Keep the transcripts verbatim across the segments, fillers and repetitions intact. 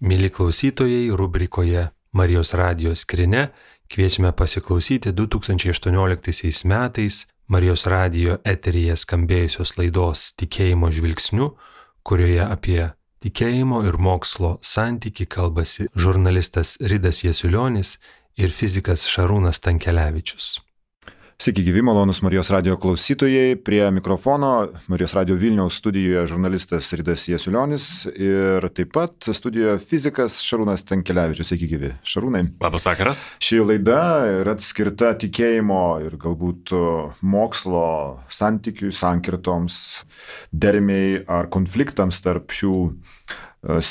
Mėly klausytojai, rubrikoje Marijos radijo skrynia kviečiame pasiklausyti du tūkstančiai aštuonioliktaisiais metais Marijos radijo eteryje skambėjusios laidos Tikėjimo žvilgsniu, kurioje apie tikėjimo ir mokslo santykį kalbasi žurnalistas Ridas Jasiulionis ir fizikas Šarūnas Tankelevičius. Sveiki gyvi, malonus Marijos radijo klausytojai. Prie mikrofono Marijos radijo Vilniaus studijoje žurnalistas Ridas Jasiulionis ir taip pat studijoje fizikas Šarūnas Tankelevičius. Sveiki gyvi. Šarūnai. Labas vakaras. Ši laida yra skirta tikėjimo ir galbūt mokslo santykių, sankirtoms, dermei ar konfliktams tarp šių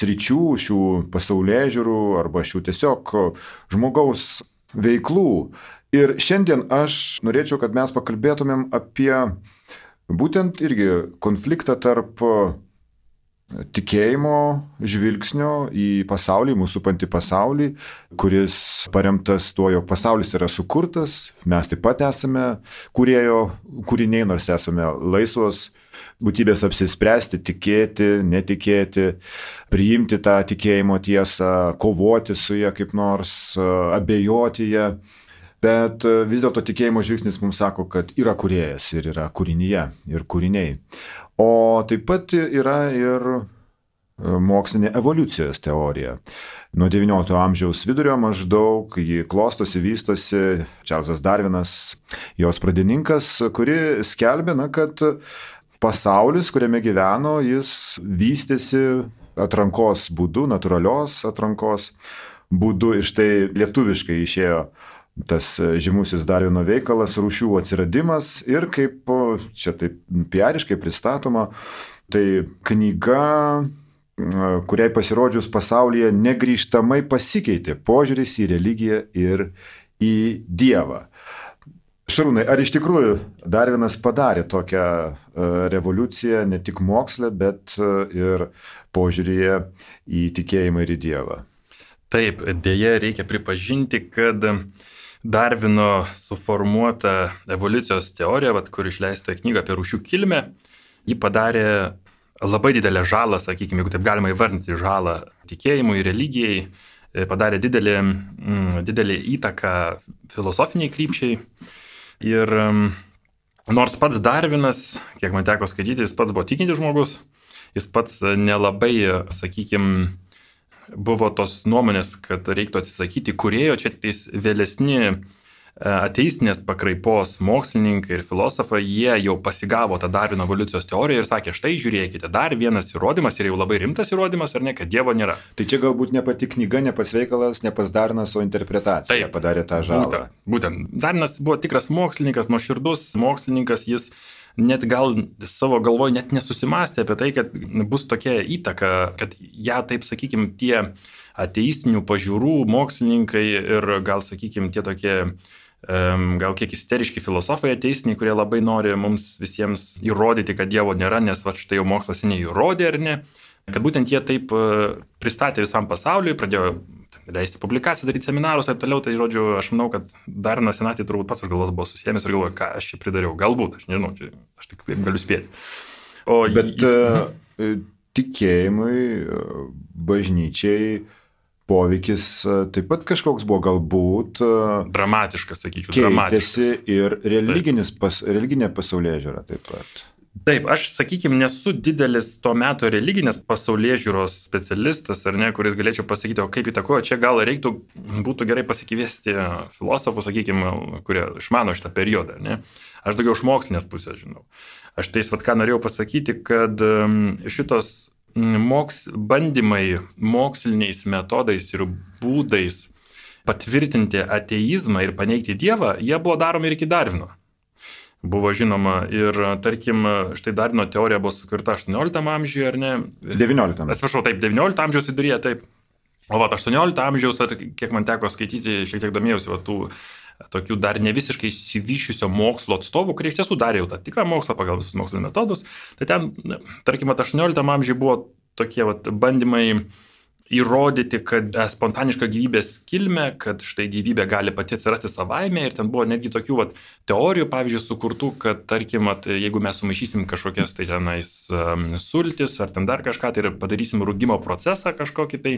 sričių, šių pasaulėžiūrų arba šių tiesiog žmogaus veiklų. Ir šiandien aš norėčiau, kad mes pakalbėtumėm apie būtent irgi konfliktą tarp tikėjimo žvilgsnio į pasaulį, mūsų supantį pasaulį, kuris paremtas tuo, jog pasaulis yra sukurtas, mes taip pat esame kūrėjo kūriniai, nors esame laisvos būtybės apsispręsti, tikėti, netikėti, priimti tą tikėjimo tiesą, kovoti su ja kaip nors, abejoti ją. Bet vis dėlto tikėjimo žvilgsnis mums sako, kad yra kūrėjas ir yra kūrinyje ir kūriniai. O taip pat yra ir mokslinė evoliucijos teorija. Nuo devyniolikto amžiaus vidurio maždaug ji klostosi, vystosi, Čarlzas Darvinas, jos pradininkas, kuri skelbė, na, kad pasaulis, kuriame gyveno, jis vystėsi atrankos būdu, natūralios atrankos būdu. Ir štai lietuviškai išėjo tas žymusis Darvino veikalas Rūšių atsiradimas ir kaip čia taip piariškai pristatoma, tai knyga, kuriai pasirodžius pasaulyje negrįžtamai pasikeitė požiūris į religiją ir į Dievą. Šarūnai, ar iš tikrųjų Darvinas padarė tokią revoliuciją ne tik moksle, bet ir požiūryje į tikėjimą ir į Dievą? Taip, dėja reikia pripažinti, kad Darvino suformuota evoliucijos teorija, vat, kur išleista knyga apie rūšių kilmę, ji padarė labai didelę žalą, sakykime, jeigu taip galima įvardinti žalą tikėjimui, religijai, padarė didelį, didelį įtaką filosofiniai krypčiai. Ir nors pats Darvinas, kiek man teko skaityti, jis pats buvo tikintis žmogus, jis pats nelabai, sakykime, buvo tos nuomonės, kad reiktų atsisakyti kūrėjo, čia tik vėlesni ateistinės pakraipos mokslininkai ir filosofai, jie jau pasigavo tą Darvino evoliucijos teoriją ir sakė, štai žiūrėkite, dar vienas įrodymas ir jau labai rimtas įrodymas, ar ne, kad Dievo nėra. Tai čia galbūt ne pati knyga, ne pats veikalas, ne pats Darvinas, o interpretacija. Taip, padarė tą žalą. Būtent, būtent. Darvinas buvo tikras mokslininkas, nuoširdus mokslininkas, jis net gal savo galvoj net nesusimastė apie tai, kad bus tokia įtaka, kad ją, taip sakykime, tie ateistinių pažiūrų mokslininkai ir gal, sakykime, tie tokie gal kiek isteriški filosofai ateistiniai, kurie labai nori mums visiems įrodyti, kad Dievo nėra, nes va, štai jau mokslas seniai įrodė, ar ne, kad būtent jie taip pristatė visam pasauliui, pradėjo leisti publikacijas, daryti seminarus, taip toliau, tai žodžiu, aš manau, kad Darvinas senatį turbūt pats už galvos buvo susijęs ir galvoja, ką aš čia pridariau, galbūt, aš nežinau, čia, aš tik taip galiu spėti. O Bet jis... uh, tikėjimui, bažnyčiai poveikis taip pat kažkoks buvo, galbūt dramatiškas, sakyčiau, keitėsi ir religinis pas, religinė pasaulėžiūra taip pat. Taip, aš, sakykime, nesu didelis to meto religinės pasaulėžiūros specialistas, ar ne, kuris galėčiau pasakyti, o kaip įtakojo, čia gal reiktų, būtų gerai pasikviesti filosofų, sakykime, kurie išmano šitą periodą, ne. Aš daugiau iš mokslinės pusės žinau. Aš tais, vat, ką norėjau pasakyti, kad šitos moks, bandymai moksliniais metodais ir būdais patvirtinti ateizmą ir paneigti Dievą, jie buvo daromi ir iki Darvino. Buvo žinoma ir, tarkim, štai Darvino teorija buvo sukurta aštuonioliktam amžiuje, ar ne? devynioliktam. Atsiprašau, taip, devyniolikto amžiaus viduryje, taip. O va, aštuoniolikto amžiaus, kiek man teko skaityti, šiek tiek domėjausi, va, tų tokių dar ne visiškai išsivyščiusio mokslo atstovų, kurie iš tiesų darė jau tą tikrą mokslą pagal visus mokslo metodus. Tai ten, tarkim, aštuonioliktam amžiuje buvo tokie va, bandymai įrodyti, kad spontaniška gyvybės kilmė, kad štai gyvybė gali pati atsirasti savaime ir ten buvo netgi tokių vat, teorijų, pavyzdžiui, sukurtų, kad tarkim, at, jeigu mes sumaišysim kažkokias tai tenais um, sultis ar ten dar kažką, tai ir padarysim rūgimo procesą kažkokį tai,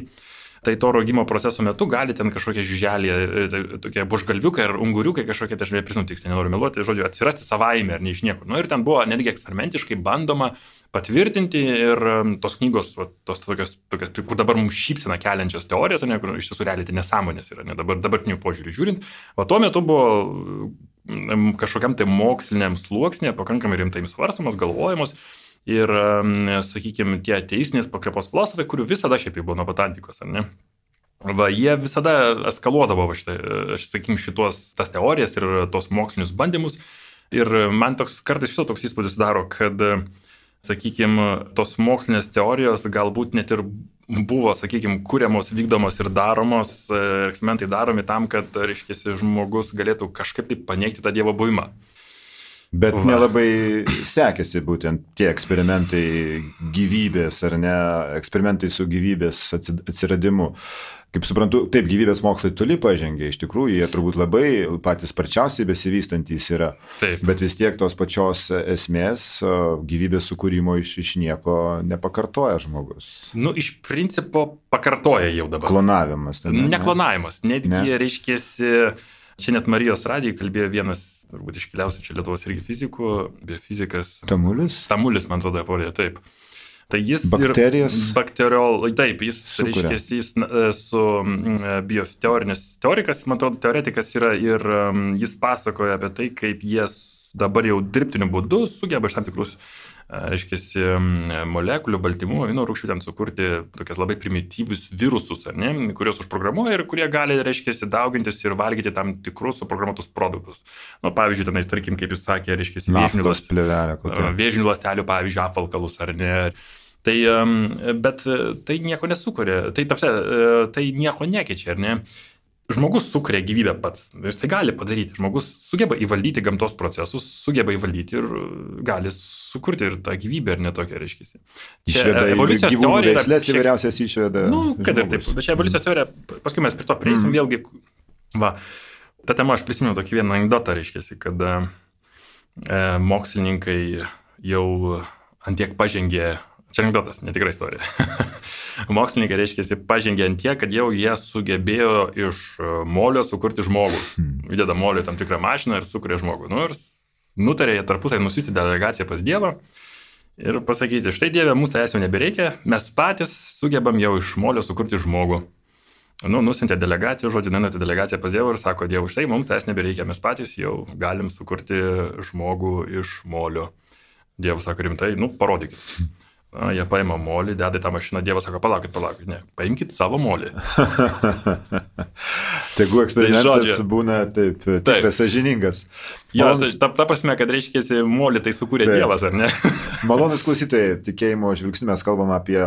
tai to rogimo proceso metu gali ten kažkokie žiuželį, tai, tokie bušgalviukai ar unguriukai kažkokie, tai aš neprisimenu tiksliai, nenoriu meluoti, žodžiu, atsirasti savaime ar ne iš niekur. Nu, ir ten buvo netgi eksperimentiškai bandoma patvirtinti ir tos knygos, va, tos tokios, tokios, kur dabar mums šypsina keliančios teorijos, ne, kur iš tiesų realiai tai nesąmonės yra, ne, dabar, dabartinių požiūrį žiūrint, o tuo metu buvo kažkokiam tai moksliniam sluoksnė, pakankamai rimtai svarstamos, galvojamos. Ir, sakykime, tie ateistinės pakrepos filosofai, kurių visada šiaip buvo nuo pat antikos, ar ne? Va, jie visada eskaluodavo, va, šitą, aš sakykime, šitos tas teorijas ir tos mokslinius bandymus. Ir man toks kartais šito toks įspūdis daro, kad, sakykime, tos mokslinės teorijos galbūt net ir buvo, sakykime, kuriamos, vykdomos ir daromos, eksperimentai daromi tam, kad, reiškia, žmogus galėtų kažkaip tai paneigti tą Dievo buvimą. Bet nelabai sekėsi būtent tie eksperimentai gyvybės, ar ne, eksperimentai su gyvybės atsiradimu. Kaip suprantu, taip, gyvybės mokslai toli pažengė, iš tikrųjų, jie turbūt labai patys sparčiausiai besivystantys yra. Taip. Bet vis tiek tos pačios esmės gyvybės sukūrimo iš, iš nieko nepakartoja žmogus. Nu, iš principo pakartoja jau dabar. Klonavimas. Ne, ne klonavimas, netgi, ne. reiškėsi, čia net Marijos radijai kalbėjo vienas, turbūt iškiliausių čia Lietuvos irgi fizikų, biofizikas. Tamulis? Tamulis, man atrodo, pavardė, taip. Tai jis bakterijas bakteriol, taip, jis, reiškia, jis su bioteorinės teorikas, man atrodo, teoretikas yra ir jis pasakoja apie tai, kaip jie dabar jau dirbtiniu būdu sugeba iš tam tikrus, reiškia, molekulių, baltymų, amino rūgščių ten sukurti tokias labai primityvius virusus, ar ne, kuriuos užprogramuoja ir kurie gali, reiškia, daugintis ir valgyti tam tikrus suprogramuotus produktus. Nu, pavyzdžiui, tenais, tarkim, kaip jis sakė, reiškia, vėžinių ląstelių, pavyzdžiui, apvalkalus, ar ne. Tai, bet tai nieko nesukuria, tai, tapsia, tai nieko nekeičia, ar ne. Žmogus sukuria gyvybę pats, jis tai gali padaryti, žmogus sugeba įvaldyti gamtos procesus, sugeba įvaldyti ir gali sukurti ir tą gyvybę, ir netokią, reiškia. Išveda gyvūnų veislės įvairiausias išveda. Nu, kad ir taip, bet čia evoliucijos teorija, paskui mes prie to prieisim mm. vėlgi, va, ta tema aš prisimenu tokį vieną anekdotą, reiškia, kad e, mokslininkai jau antiek pažengė, čia anekdotas, netikra istorija. Mokslininkai, reiškia, pažengė ant tiek, kad jau jie sugebėjo iš molio sukurti žmogų. Įdeda molio tam tikrą mašiną ir sukuria žmogų. Nu, ir nutarė jie tarpusai nusiųsti delegaciją pas Dievą ir pasakyti, štai Dieve, mums tai jau nebereikia, mes patys sugebam jau iš molio sukurti žmogų. Nu, nusintė delegaciją, žodžiu, nuintė delegaciją pas Dievą ir sako, Dievui, štai mums tai nebereikia, mes patys jau galim sukurti žmogų iš molio. Dievas sako, rimtai, nu, parodykit. Na, jie paima molį, deda į tą mašiną, Dievas sako, palaukit, palaukit, ne, paimkit savo molį. Tegu eksperimentas tai būna taip, tikras sąžiningas. Jos, ta, ta prasme, kad reiškia, molį tai sukūrė taip. Dievas, ar ne? Malonus klausytojai, tikėjimo žvilgsniu mes kalbam apie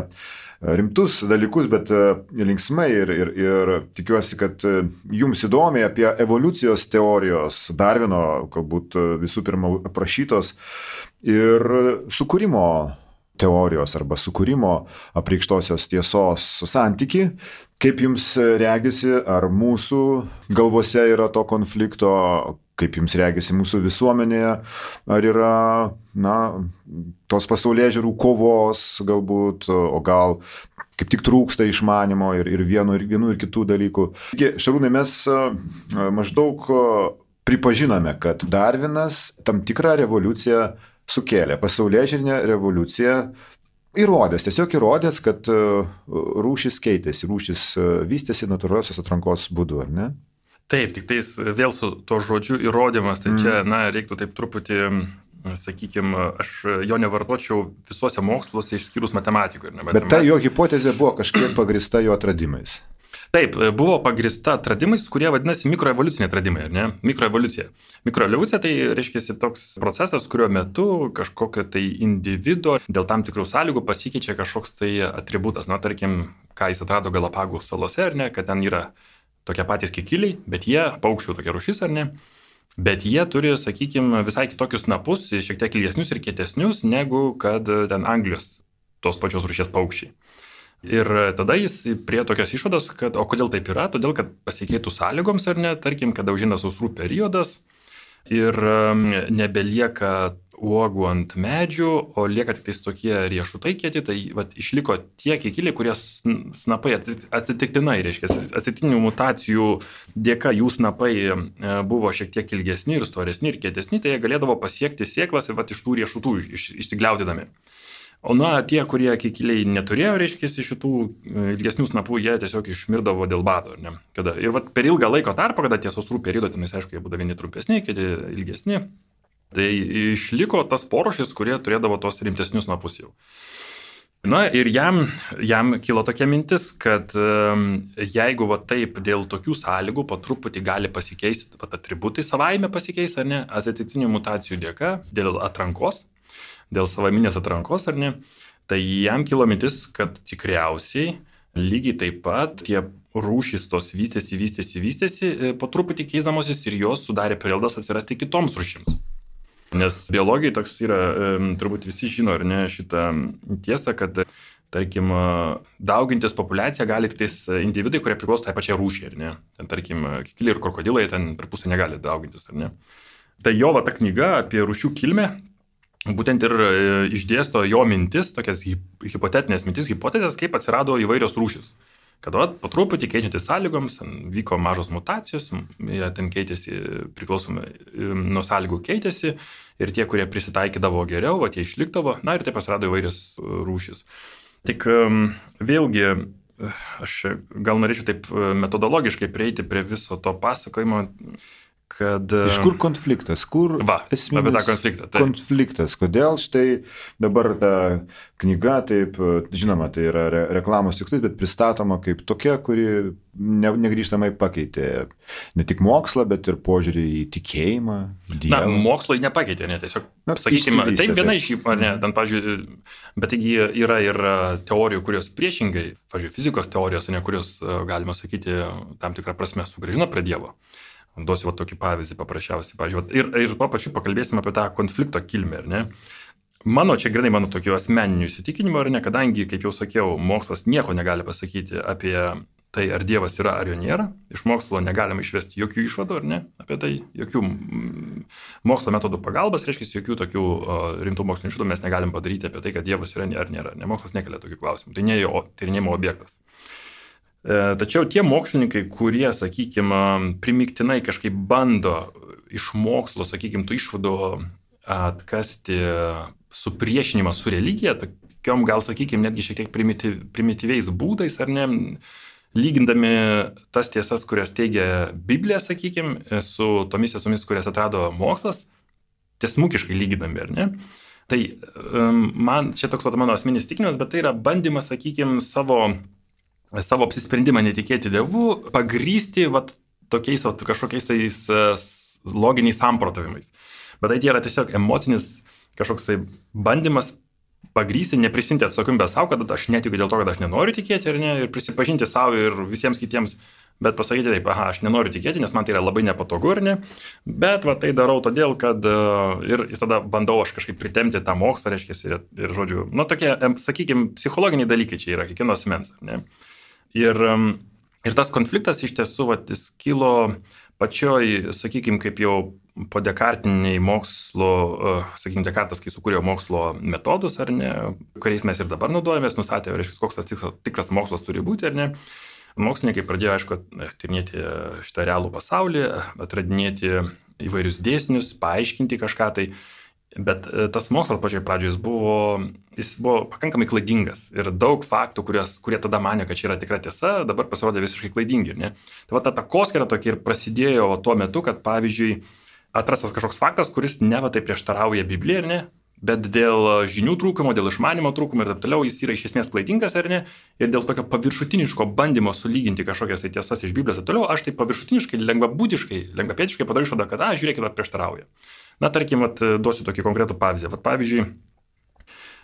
rimtus dalykus, bet linksmai ir, ir, ir tikiuosi, kad jums įdomiai apie evoliucijos teorijos, Darvino, galbūt visų pirma aprašytos ir sukūrimo teorijos arba sukūrimo apreikštosios tiesos santyki. Kaip jums regisi, ar mūsų galvose yra to konflikto, kaip jums regisi mūsų visuomenėje, ar yra, na, tos pasaulėžiūrų kovos galbūt, o gal kaip tik trūksta išmanimo ir, ir vienų, ir vienų, ir kitų dalykų. Šarūnai, mes maždaug pripažinome, kad Darvinas tam tikrą revoliuciją sukėlė, pasaulėžiūrinę revoliuciją, įrodęs, tiesiog įrodęs, kad rūšis keitėsi, rūšis vystėsi natūraliosios atrankos būdu, ar ne? Taip, tik tais vėl su to žodžiu įrodymas, tai mm. čia, na, reiktų taip truputį, sakykime, aš jo nevartočiau visuose moksluose išskyrus matematikoje. Bet ta jo hipotezė buvo kažkiek pagrįsta jo atradimais. Taip, buvo pagrįsta atradimais, kurie vadinasi mikroevoliuciniai atradimai, ar ne? Mikroevoliucija. Mikroevoliucija tai reiškia toks procesas, kurio metu kažkokio tai individo dėl tam tikrų sąlygų pasikeičia kažkoks tai atributas. Na, tarkim, ką jis atrado Galapagų salose, ar ne, kad ten yra tokie patys kikiliai, bet jie, paukščių tokia rūšis, ar ne, bet jie turi, sakykime, visai kitokius snapus, šiek tiek ilgesnius ir kietesnius, negu kad ten Anglijos tos pačios rūšies paukščiai. Ir tada jis prie tokios išvados, kad o kodėl taip yra, todėl kad pasikeitų sąlygoms ar ne, tarkim, kada užina sausrų periodas ir nebelieka uogų ant medžių, o lieka tik tais tokie riešutai kieti, tai vat, išliko tie kikiliai, kurie snapai atsitiktinai, reiškia, atsitiktinių mutacijų dėka jų snapai buvo šiek tiek ilgesni ir storesni ir kietesni, tai jie galėdavo pasiekti sėklas ir vat, iš tų riešutų iš, išsigliaudydami. O na, tie, kurie kikiliai neturėjo, reiškia, šitų ilgesnių snapų, jie tiesiog išmirdavo dėl bado. Ne? Kada, ir vat, per ilgą laiko tarpą, kada tie sausrų periodo, tenais, aišku, jie būdavo vieni trumpesni, kiti ilgesni, tai išliko tas porošis, kurie turėdavo tos rimtesnius snapus jau. Na ir jam, jam kilo tokia mintis, kad jeigu va taip dėl tokių sąlygų po truputį gali pasikeisti, va atributai savaime pasikeis, ar ne, atsitiktinių mutacijų dėka, dėl atrankos, dėl savaminės atrankos, ar ne, tai jam kilo mintis, kad tikriausiai lygiai taip pat tie rūšys tos vystėsi, vystėsi, vystėsi, po truputį keisdamosis ir jos sudarė prielaidas atsirasti kitoms rūšims. Nes biologijai toks yra, turbūt visi žino, ar ne, šitą tiesą, kad, tarkim, daugintis populiacija gali tik tais individai, kurie priklauso tai pačiai rūšiai, ar ne. Ten, tarkim, kikiliai ir krokodilai ten per pusę negali daugintis, ar ne. Tai jo va ta knyga apie rūšių kilmę būtent ir išdėsto jo mintis, tokias hipotetinės mintis, hipotezės, kaip atsirado įvairios rūšys. Kad va, po truputį keičiantis sąlygoms, vyko mažos mutacijos, jie ten keitėsi, priklausomai nuo sąlygų keitėsi ir tie, kurie prisitaikydavo geriau, va, tie išlikdavo, na ir taip atsirado įvairios rūšys. Tik vėlgi, aš gal norėčiau taip metodologiškai prieiti prie viso to pasakojimo, kad... Iš kur konfliktas, kur va, esminis konfliktą, tai. konfliktas, kodėl štai dabar ta knyga, taip, žinoma, tai yra re reklamos tikslais, bet pristatoma kaip tokia, kuri ne, negrįžtamai pakeitė ne tik mokslą, bet ir požiūrį į tikėjimą, Dievą. Na, mokslo jį nepakeitė, ne, tiesiog, na, sakykime, taip viena iš jų, ar ne, ten, pavyzdžiui, bet taigi yra ir teorijų, kurios priešingai, pavyzdžiui, fizikos teorijos, ne, kurios, galima sakyti, tam tikrą prasme sugrįžino prie Dievo. Duosiu va tokį pavyzdį paprasčiausiai. Pavyzdžiui, ir, ir tuo pačiu pakalbėsime apie tą konflikto kilmę, ar ne? Mano, čia grinai mano tokių asmeninių įsitikinimų, ar ne, kadangi, kaip jau sakiau, mokslas nieko negali pasakyti apie tai, ar Dievas yra, ar jo nėra. Iš mokslo negalima išvesti jokių išvadų, ar ne, apie tai, jokių mokslo metodų pagalbas, reiškia, jokių tokių o, rimtų mokslinių išvadų mes negalim padaryti apie tai, kad Dievas yra ar nėra. Ne, mokslas nekelia tokių klausimų. Tai ne jo tyrinėjimo objektas. Tačiau tie mokslininkai, kurie, sakykime, primiktinai kažkaip bando iš mokslo, sakykime, tų išvadų atkasti supriešinimą su religija, tokiom gal, sakykime, netgi šiek tiek primityv, primityviais būdais, ar ne, lygindami tas tiesas, kurias teigia Biblija, sakykime, su tomis tiesomis, kurias atrado mokslas, tiesmukiškai lygindami, ar ne. Tai man, čia toks mano asmeninis įsitikinimas, bet tai yra bandymas, sakykime, savo savo apsisprendimą netikėti Dievu, pagrysti vat, tokiais vat, kažkokiais tais loginiais samprotavimais. Bet tai yra tiesiog emocinis kažkoks bandymas pagrysti, neprisimti atsakomybę savo, kad aš netikiu dėl to, kad aš nenoriu tikėti, ar ne, ir prisipažinti savo ir visiems kitiems, bet pasakyti taip, aha, aš nenoriu tikėti, nes man tai yra labai nepatogu, ar ne, bet va, tai darau todėl, kad ir, ir tada bandau aš kažkaip pritemti tą mokslą, reiškia, ir, ir žodžiu, nu tokie, sakykime, psichologiniai dalykai čia yra kiekvieno asmens, ar ne. Ir, ir tas konfliktas iš tiesų vat, jis kilo pačioj, sakykime, kaip jau po dekartiniai mokslo, sakykime, Dekartas, kai sukūrė mokslo metodus, ar ne, kuriais mes ir dabar naudojamės, nustatė, reiškia, koks tas tikras mokslas turi būti, ar ne. Mokslininkai pradėjo, aišku, tyrinėti šitą realų pasaulį, atradinėti įvairius dėsnius, paaiškinti kažką tai. Bet tas mokslas pačioj pradžioje jis buvo, jis buvo pakankamai klaidingas ir daug faktų, kurios, kurie tada manė, kad čia yra tikra tiesa, dabar pasirodė visiškai klaidingi. Ne? Tai va ta takoskyra tokia ir prasidėjo tuo metu, kad pavyzdžiui atrastas kažkoks faktas, kuris neva tai prieštarauja Biblijai, ar ne? Bet dėl žinių trūkumo, dėl išmanimo trūkumo ir taip toliau jis yra iš esmės klaidingas, ar ne? Ir dėl tokio paviršutiniško bandymo sulyginti kažkokias tai tiesas iš Biblijos ir toliau, aš tai paviršutiniškai, lengvabūdiškai, lengvapėtiškai padariau išvadą, kad, a, žiūrėkit, prieštarauja. Na, tarkim, at, duosiu tokį konkretų pavyzdį. Vat, pavyzdžiui,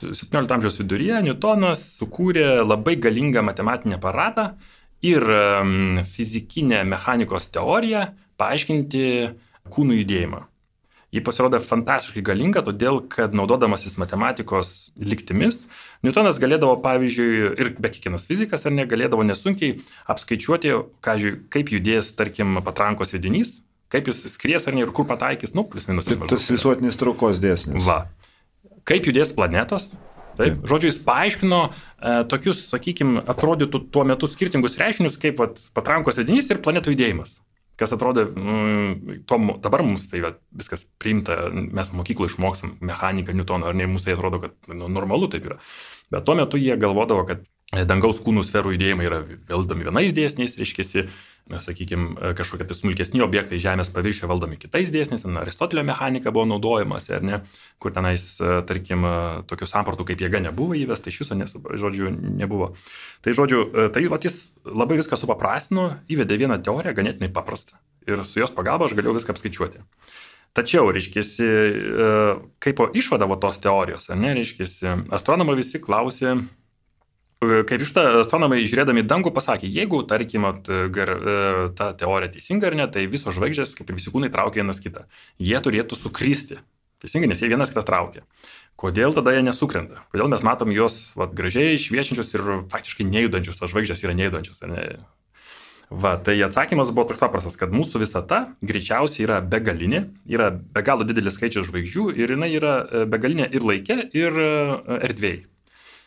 septyniolikto amžiaus viduryje Newtonas sukūrė labai galingą matematinį aparatą ir um, fizikinę mechanikos teoriją paaiškinti kūnų judėjimą. Ji pasirodė fantastiškai galinga, todėl, kad naudodamasis matematikos lygtimis, Newtonas galėdavo, pavyzdžiui, ir be kiekvienas fizikas, ar ne, galėdavo nesunkiai apskaičiuoti, kažkai, kaip judės, tarkim, patrankos sviedinys, Kaip jis skries ar ne ir kur pataikys, nu, plius minus. Tai tas visuotinis traukos dėsnis. Va. Kaip judės planetos. Taip. Taip. Žodžiu, jis paaiškino e, tokius, sakykime, atrodytų tuo metu skirtingus reiškinius, kaip vat, patrankos vedinys ir planetų judėjimas. Kas atrodo, mm, to, dabar mums tai va, viskas priimta, mes mokykloje išmokstam mechaniką Newtoną, ar ne, mums tai atrodo, kad nu, normalu taip yra. Bet tuo metu jie galvodavo, kad dangaus kūnų sferų judėjimai yra valdomi vienais dėsniais, reiškiasi, sakykime, kažkokie tai smulkesni objektai Žemės paviršiuje valdomi kitais dėsniais, Aristotelio mechanika buvo naudojamas, ar ne, kur tenais, tarkim, tokių sampratų kaip jėga nebuvo įvesta, iš viso, nesu, žodžiu, nebuvo. Tai, žodžiu, tai vat, jis labai viską supaprastino, įvedė vieną teoriją, ganėtinai paprastą, ir su jos pagalba aš galėjau viską apskaičiuoti. Tačiau, reiškiasi, kaip po išvadavo tos teorijos, ar ne, reiškiasi, astronomai visi klausė, kaip iš tą astronomai žiūrėdami dangų pasakė, jeigu, tarkim, gar, ta teorija teisinga ar ne, tai visos žvaigždės, kaip ir visi kūnai, traukia vienas kitą. Jie turėtų sukristi. Teisingai, nes jie vienas kitą traukia. Kodėl tada jie nesukrenta? Kodėl mes matom juos vat, gražiai šviečiančius ir faktiškai nejudančius, tas žvaigždės yra nejudančius, ar ne? Va, tai atsakymas buvo toks paprastas, kad mūsų visata greičiausiai yra begalinė, yra be galo didelis skaičius žvaigždžių ir jinai yra begalinė ir laike, ir erdvėje.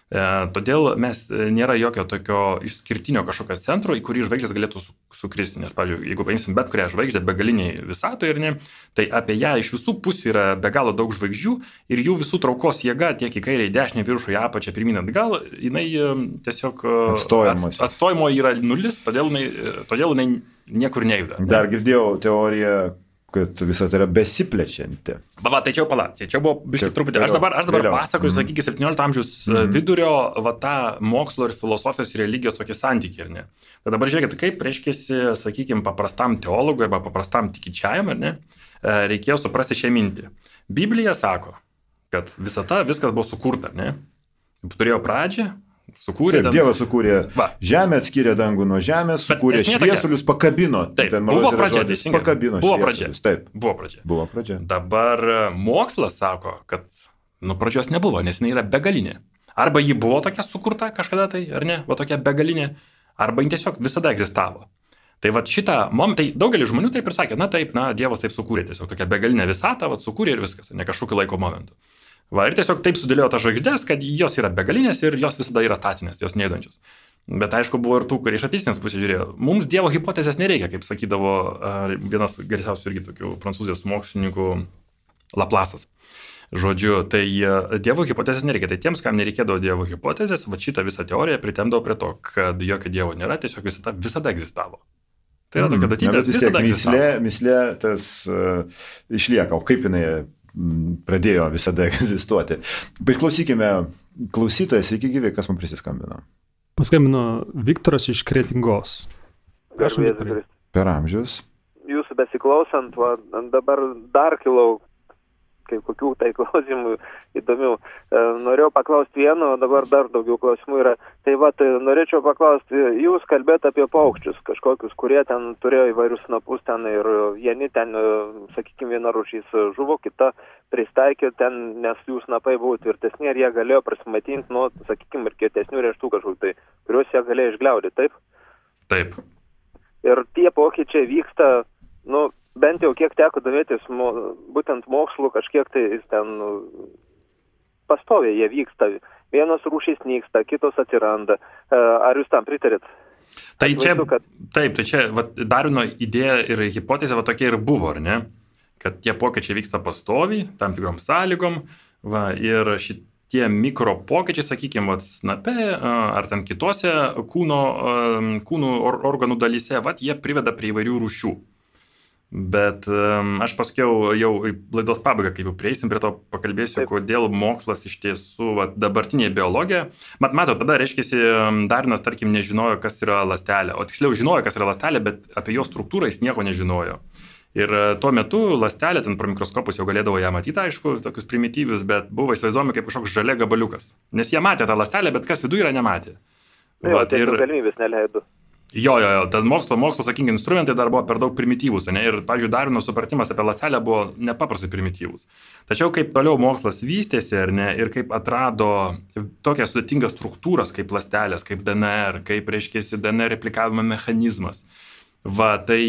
E, todėl mes nėra jokio tokio išskirtinio kažkokio centro, į kurį žvaigždės galėtų sukristi. Nes, pavyzdžiui, jeigu paimsim bet kurią žvaigždę begaliniai visatoje, ir ne, tai apie ją iš visų pusių yra be galo daug žvaigždžių ir jų visų traukos jėga tiek į kairę, į dešinę, viršų, į apačią, pirmyn atgal, jinai tiesiog ats, atstojimo yra nulis, todėl jinai, todėl jinai niekur nejuda. Ne? Dar girdėjau teoriją, kad visą tai yra besiplečianti. Va, va, tai čia jau pala, čia, čia buvo biškai truputį. Aš dabar, aš dabar vėliau. pasakoju, mm-hmm. sakykime, septyniolikto amžiaus mm-hmm. vidurio, va, tą mokslo ir filosofijos ir religijos tokį santykį, ar ne? Tai dabar žiūrėkit, kaip reiškiasi, sakykime, paprastam teologui arba paprastam tikinčiajam, ar ne, reikėjo suprasti šią mintį. Biblija sako, kad visata, viskas buvo sukurta, ne? Turėjo pradžią, sukūrė. Taip, Dievas sukūrė va. Žemę, atskyrė dangų nuo žemės, sukūrė šviesulius, pakabino. Taip, buvo pradžia, teisingai. Pakabino buvo pradžia. Taip. Buvo pradžia. Buvo pradžia. Dabar mokslas sako, kad nuo pradžios nebuvo, nes jinai yra begalinė. Arba ji buvo tokia sukurta kažkada tai, ar ne, va tokia begalinė, arba ji tiesiog visada egzistavo. Tai va šitą momentą, tai daugelis žmonių taip ir sakė, na taip, na Dievas taip sukūrė, tiesiog tokia begalinė visata, va sukūrė ir viskas, ne kažkokiu laiko momentu. Va, ir tiesiog taip sudėliojo tas žvaigždės, kad jos yra begalinės ir jos visada yra statinės, jos neįdančios. Bet aišku, buvo ir tų, kurie iš ateistinės pusės žiūrėjo. Mums Dievo hipotezės nereikia, kaip sakydavo vienas garsiausių irgi tokių prancūzijos mokslininkų Laplasas. Žodžiu, tai Dievo hipotezės nereikia. Tai tiems, kam nereikėdavo Dievo hipotezės, va šitą visą teoriją pritemdavo prie to, kad jokio Dievo nėra, tiesiog visata visada egzistavo. Tai yra tokia duotybė, mm, visada egzistavo. Mislė, mislė tas uh, išlieka, o kaip jinai pradėjo visada egzistuoti. Bet klausykime, klausytojas, sveiki gyvi, kas man prisiskambino. Paskambino Viktoras iš Kretingos. Per amžius. Jūsų besiklausant, va, dabar dar kilau kaip kokių tai klausimų įdomių. E, norėjau paklausti vieno, dabar dar daugiau klausimų yra. Tai va, tai norėčiau paklausti, jūs kalbėt apie paukščius kažkokius, kurie ten turėjo įvairius snapus ten ir vieni ten, sakykime, viena rūšys žuvo, kita pristaikė ten, nes jų snapai buvo tvirtesni ir jie galėjo prasimatinti nuo, sakykime, ir kietesnių rieštų kažkokių, tai, kuriuos jie galėjo išgliaudyti, taip? Taip. Ir tie pokyčiai vyksta, nu, bent jau kiek teko domėtis, mo, būtent mokslu kažkiek tai ten nu, pastoviai jie vyksta. Vienos rūšys nyksta, kitos atsiranda. Ar jūs tam pritarėt? Tai čia, kad... Taip, tai čia va, Darvino idėja ir hipotezė va, tokia ir buvo, ar ne? Kad tie pokyčiai vyksta pastoviai, tam tikrom sąlygom, va, ir šitie mikro pokyčiai, sakykime, va, snape ar ten kitose kūno, kūnų organų dalyse, va, jie priveda prie įvairių rūšių. Bet um, aš paskiau jau laidos pabaigą, kaip jau prieisim prie to, pakalbėsiu, Taip. kodėl mokslas iš tiesų, va, dabartinė biologija. Mat, mato, tada, reiškiasi, Darvinas, tarkim, nežinojo, kas yra ląstelė, o tiksliau žinojo, kas yra ląstelė, bet apie jos struktūrą jis nieko nežinojo. Ir tuo metu ląstelė, ten pro mikroskopus jau galėdavo ją matyti, aišku, tokius primityvius, bet buvo įsivaizduojami kaip kažkoks žalia gabaliukas. Nes jie matė tą ląstelę, bet kas viduje yra nematė. Tai va, tai ir galimybės neleido. Jo, jo, jo, tas mokslo, mokslo, sakykim, instrumentai dar buvo per daug primityvūs, ne? Ir, pavyzdžiui, Darvino supratimas apie ląstelę buvo nepaprastai primityvūs. Tačiau kaip toliau mokslas vystėsi, ar ne, ir kaip atrado tokias sudėtingas struktūras kaip ląstelės, kaip D N R, kaip, reiškėsi, D N R replikavimo mechanizmas, Va, tai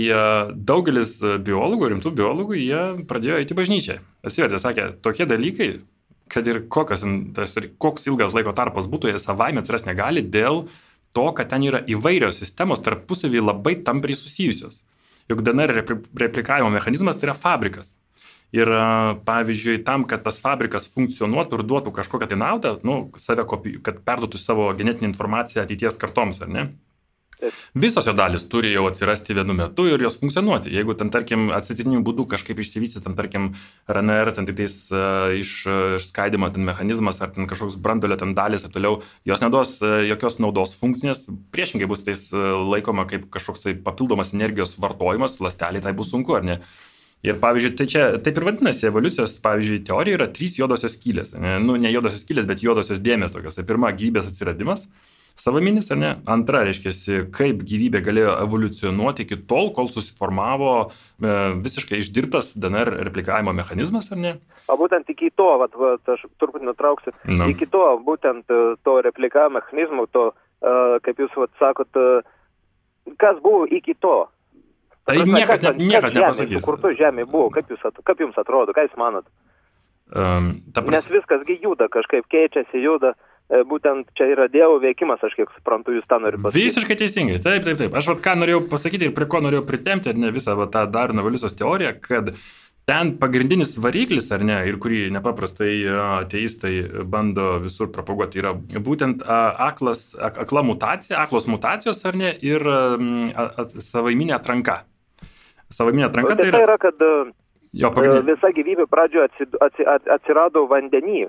daugelis biologų, rimtų biologų, jie pradėjo eiti bažnyčią. Atsivertė, sakė, tokie dalykai, kad ir kokios, tas, koks ilgas laiko tarpas būtų, jie savaime atsiras negali dėl to, kad ten yra įvairios sistemos tarpusavį labai tampriai susijusios. Juk D N R replikavimo mechanizmas tai yra fabrikas. Ir pavyzdžiui, tam, kad tas fabrikas funkcionuotų ir duotų kažkokią tai naudą, nu, save kopi, kad perduotų savo genetinę informaciją ateities kartoms, ar ne? Visos jo dalis turi jau atsirasti vienu metu ir jos funkcionuoti. Jeigu ten, tarkim, atsitiktiniu būdu kažkaip išsivysti, ten, tarkim, R N R, ten tiktais uh, išskaidimo ten mechanizmas ar ten kažkoks brandolio ten dalis ir toliau, jos neduos uh, jokios naudos funkcinės, priešingai bus tais uh, laikoma kaip kažkoks tai papildomas energijos vartojimas, ląsteliai tai bus sunku, ar ne? Ir pavyzdžiui, tai čia taip ir vadinasi, evoliucijos, pavyzdžiui, teorija yra trys juodosios skylės. Ne, nu, ne juodosios skylės, bet juodosios dėmės tokios. Tai pirma, gyvybės atsiradimas, savaminis, ar ne? Antra, reiškia, kaip gyvybė galėjo evoliucionuoti iki tol, kol susiformavo e, visiškai išdirbtas D N R replikavimo mechanizmas, ar ne? O būtent iki to, vat, vat, aš turbūt nutrauksiu, no. iki to, būtent to replikavimo mechanizmo, to, uh, kaip jūs vat, sakot, uh, kas buvo iki to? Tai niekas, ne, niekas nepasakys. Kur tu žemė buvo, kaip, jūs, kaip jums atrodo, ką jūs manot? Um, pras... Nes viskasgi juda, kažkaip keičiasi, juda, būtent čia yra Dievo veikimas, aš kiek suprantu, jūs tą norite pasakyti. Visiškai teisingai, taip, taip, taip. Aš vat ką norėjau pasakyti ir prie ko norėjau pritempti, ar ne visą vat, tą Darvino evoliucijos teoriją, kad ten pagrindinis variklis, ar ne, ir kurį nepaprastai ateistai bando visur propaguoti, yra būtent aklas, akla mutacija, aklos mutacijos, ar ne, ir savaiminė atranka. Savaiminė atranka tai, tai yra, kad jo, pagrindinė... visa gyvybė pradžioje atsirado vandenį